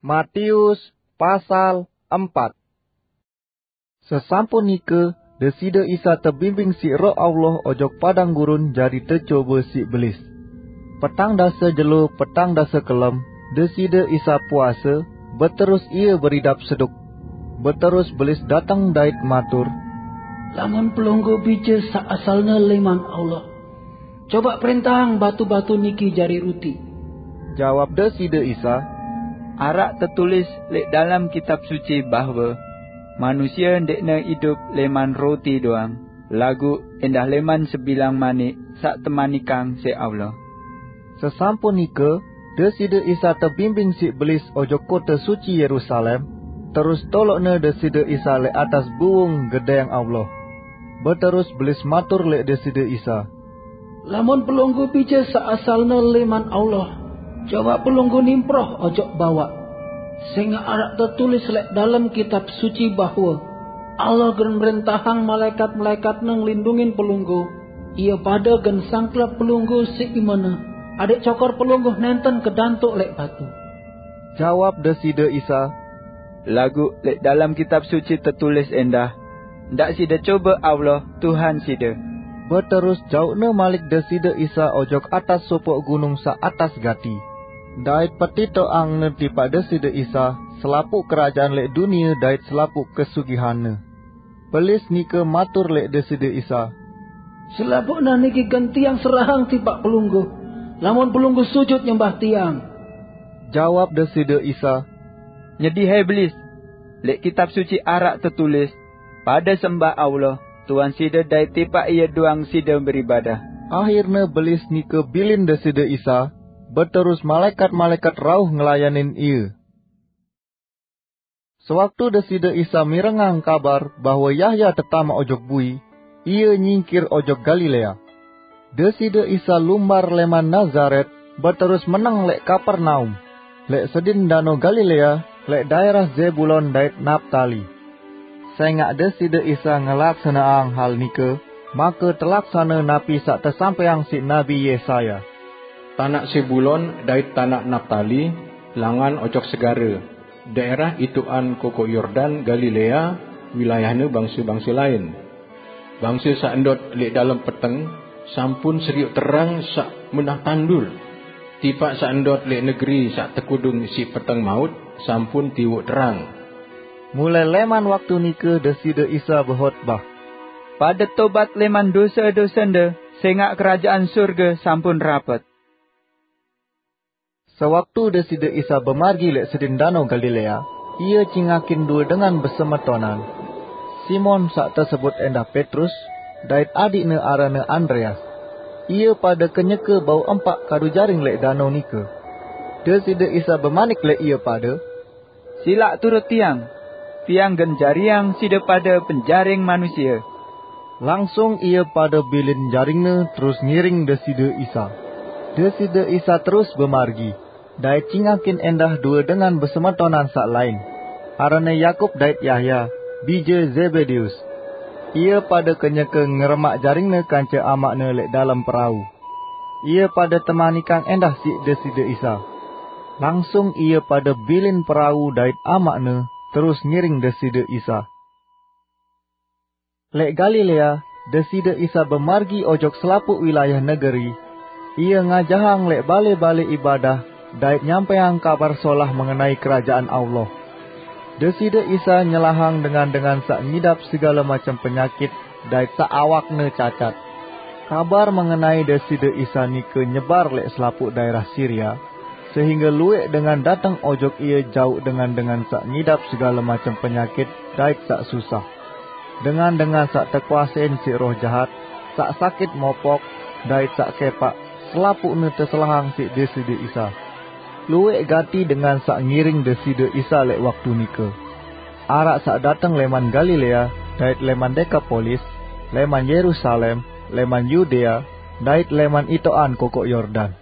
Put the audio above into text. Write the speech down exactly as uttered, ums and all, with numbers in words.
Matius pasal empat. Sesampun nika, Deside Isa tebimbing siq Roh Allah ojok padang gurun jari tecobe siq belis. Petang dase jelo, petang dase kelem, Deside Isa puase, beterus Ie beridap seduk. Beterus belis dateng dait matur, "Lamun Pelungguh bije saq asalne leman Allah, coba prentahang batu-batu niki jari ruti." Jawab Deside Isa, "Araq tetulis leq dalem Kitab Suci bahwe manusie ndeqne idup leman roti doang, laguq endah leman sebilang manik saq temanikang siq Allah." Sesampun nike, Deside Isa tebimbing siq belis ojok kote suci Yerusalem, terus toloqne Deside Isa leq atas buung Gedeng Allah. Beterus belis matur leq Deside Isa, "Lamun Pelungguh bije saq asalne leman Allah, coba Pelungguh nimproh ojok bawaq. Sengaq araq tetulis leq dalem Kitab Suci bahwe Allah gen mrentahang malaekat-malaekatne ngelindungin Pelungguh. Ie pade gen sangklep Pelungguh siq imene, adeq cokor Pelungguh nenten kedantoq leq batu." Jawab Deside Isa, "Laguq leq dalem Kitab Suci tetulis endah, 'Ndaq side cobe Allah, Tuhan side.'" Beterus jauqne malik Deside Isa ojok atas sopoq gunung saq atas gati, dait petitoqangne tipaq Deside Isa selapuq kerajaan leq dunie dait selapuq kesugihanne. Belis nike matur leq Deside Isa, "Selapuqne niki gen Tiang serahang tipaq Pelungguh, lamun Pelungguh sujut nyembah Tiang." Jawab Deside Isa, "Nyedi hai belis! Leq Kitab Suci araq tetulis, 'Pade sembah Allah, Tuhan side dait tipaq Ie doang side beribadah.'" Ahirne belis nike bilin Deside Isa, beterus malaekat-malaekat rauh ngelayanin Ie. Sewaktu Deside Isa mirengang kabar bahwe Yahya tetamaq ojok bui, Ie nyingkir ojok Galilea. Deside Isa lumbar leman Nazaret, beterus meneng leq Kapernaum, leq sedin Dano Galilea, leq daerah Zebulon dait Naptali. Sengaq Deside Isa ngelaksaneang hal nike, make telaksane napi saq tesampaiang siq Nabi Yesaya, "Tanaq Zebulon dait tanaq Naptali, langan ojok segare, daerah ituqan Kokoq Yordan Galilea, wilayahne bangse-bangse lain. Bangse saq ndot leq dalem peteng sampun serioq terang saq menah tandur. Tipaq saq ndot leq negeri saq tekudung siq peteng maut sampun tiwoq terang." Mulai leman waktu nike Deside Isa behotbah, "Pade tobat leman dose-dosende, sengaq kerajaan surge sampun rapet." Sewaktu Deside Isa bemargi leq sedin Dano Galilea, Ie cingakin due dengan besemetonan, Simon saq tesebut endah Petrus, dait adiqne aranne Andreas. Ie pade kenyeke bau empaq kadu jaring leq dano nike. Deside Isa bemanik leq ie pade, "Silaq turut Tiang, Tiang gen jariang side pade penjaring manusie." Langsung ie pade bilin jaringne terus ngiring Deside Isa. Deside Isa terus bemargi, dait cingakin endah due dengan besemetonan saq lain, aranne Yakub dait Yahya, bije Zebedeus. Ie pade kenyeke ngeremaq jaringne kance amaqne leq dalem perau. Ie pade temanikang endah siq Deside Isa. Langsung ie pade bilin perau dait amaqne, terus ngiring Deside Isa. Leq Galilea, Deside Isa bemargi ojok selapuq wilayah negeri. Ie ngajahang leq bale-bale ibadah dait nyampaiang Kabar Solah mengenai Kerajaan Allah. Deside Isa nyelahang dengan-dengan saq ngidap segale macem penyakit dait saq awakne cacat. Kabar mengenai Deside Isa nike nyebar leq selapuq daerah Siria, sehingge lueq dengan dateng ojok Ie jauq dengan-dengan saq ngidap segale macem penyakit dait saq susah. Dengan-dengan saq tekuasein siq roh jahat, saq sakit mopok, dait saq kepaq, selapuqne teselahang siq Deside Isa. Lueq gati dengan saq ngiring Deside Isa leq waktu nike. Araq saq dateng leman Galilea, dait leman Dekapolis, leman Yerusalem, leman Yudea, dait leman itoqan Kokoq Yordan.